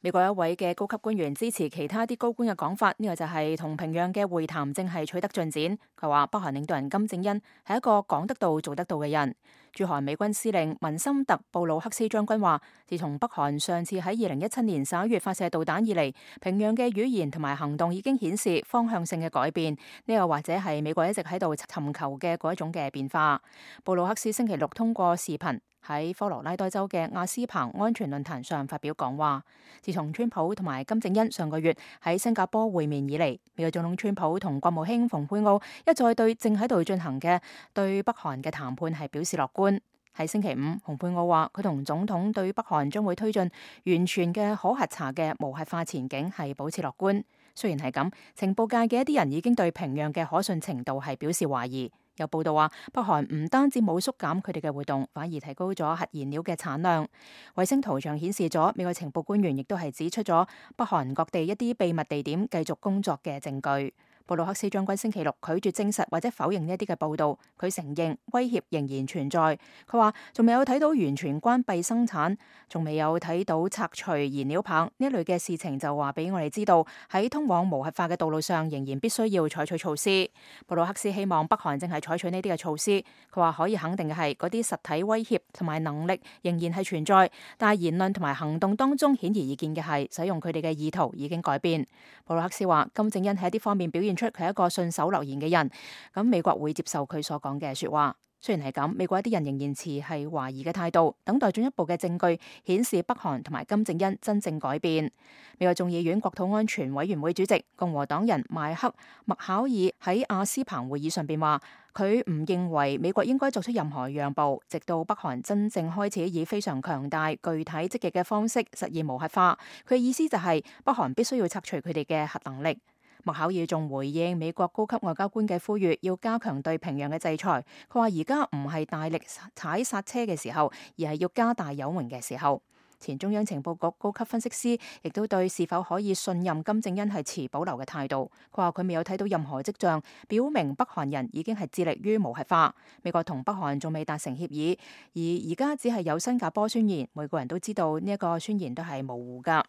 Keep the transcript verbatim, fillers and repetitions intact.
美國一位嘅高級官員支持其他啲高官嘅講法，呢個就係同平壤嘅會談正係取得進展。佢話北韓領導人金正恩係一個講得到做得到嘅人。駐韓美軍司令文森特布魯克斯將軍話，自從北韓上次喺二零一七年十一月發射導彈以嚟，平壤嘅語言同埋行動已經顯示方向性嘅改變。呢個或者係美國一直喺度尋求嘅嗰一種嘅變化。布魯克斯星期六通過視頻喺科羅拉多州嘅亞斯彭安全論壇上發表講話。自從川普同埋金正恩上個月喺新加坡會面以嚟，美國總統川普同國務卿蓬佩奧一再對正喺度進行嘅對北韓嘅談判係表示樂觀。喺星期五，蓬佩奧話佢同總統對北韓將會推進完全嘅可核查嘅無核化前景係保持樂觀。雖然係咁，情報界嘅一啲人已經對平壤嘅可信程度係表示懷疑。有報道話，北韓唔單止冇縮減佢哋嘅活動，反而提高咗核燃料嘅產量。衛星圖像顯示咗，美國情報官員亦都係指出咗北韓各地一啲秘密地點繼續工作嘅證據。布魯克斯將軍星期六拒絕證實或者否認呢一啲嘅報道，佢承認威脅仍然存在。佢話仲未有睇到完全關閉生產，仲未有睇到拆除燃料棒呢一類嘅事情，就話俾我哋知道喺通往無核化嘅道路上仍然必須要採取措施。布魯克斯希望北韓正係採取呢啲嘅措施。佢話可以肯定嘅係嗰啲實體威脅同埋能力仍然係存在，但係言論同埋行動當中顯而易見嘅係使用佢哋嘅意圖已經改變。布魯克斯話金正恩喺一啲方面表現出佢係一個信守諾言嘅人，咁美國會接受佢所講嘅說話。雖然係咁，美國一啲人仍然持係懷疑嘅態度，等待進一步嘅證據顯示北韓同埋金正恩真正改變。美國眾議院國土安全委員會主席共和黨人邁克麥考爾喺亞斯彭會議上邊話，佢唔認為美國應該作出任何讓步，直到北韓真正開始以非常強大、具體、積極嘅方式實現無核化。佢嘅意思就係北韓必須要拆除佢哋嘅核能力。麥考爾仲回應美國高級外交官嘅呼籲，要加強對平壤嘅制裁。佢話而家唔係大力踩剎車嘅時候，而係要加大油門嘅時候。前中央情報局高級分析師亦都對是否可以信任金正恩係持保留嘅態度。佢話佢未有睇到任何跡象表明北韓人已經係致力於無核化。美國同北韓仲未達成協議，而而家只係有新加坡宣言，每個人都知道呢一個宣言都係模糊噶。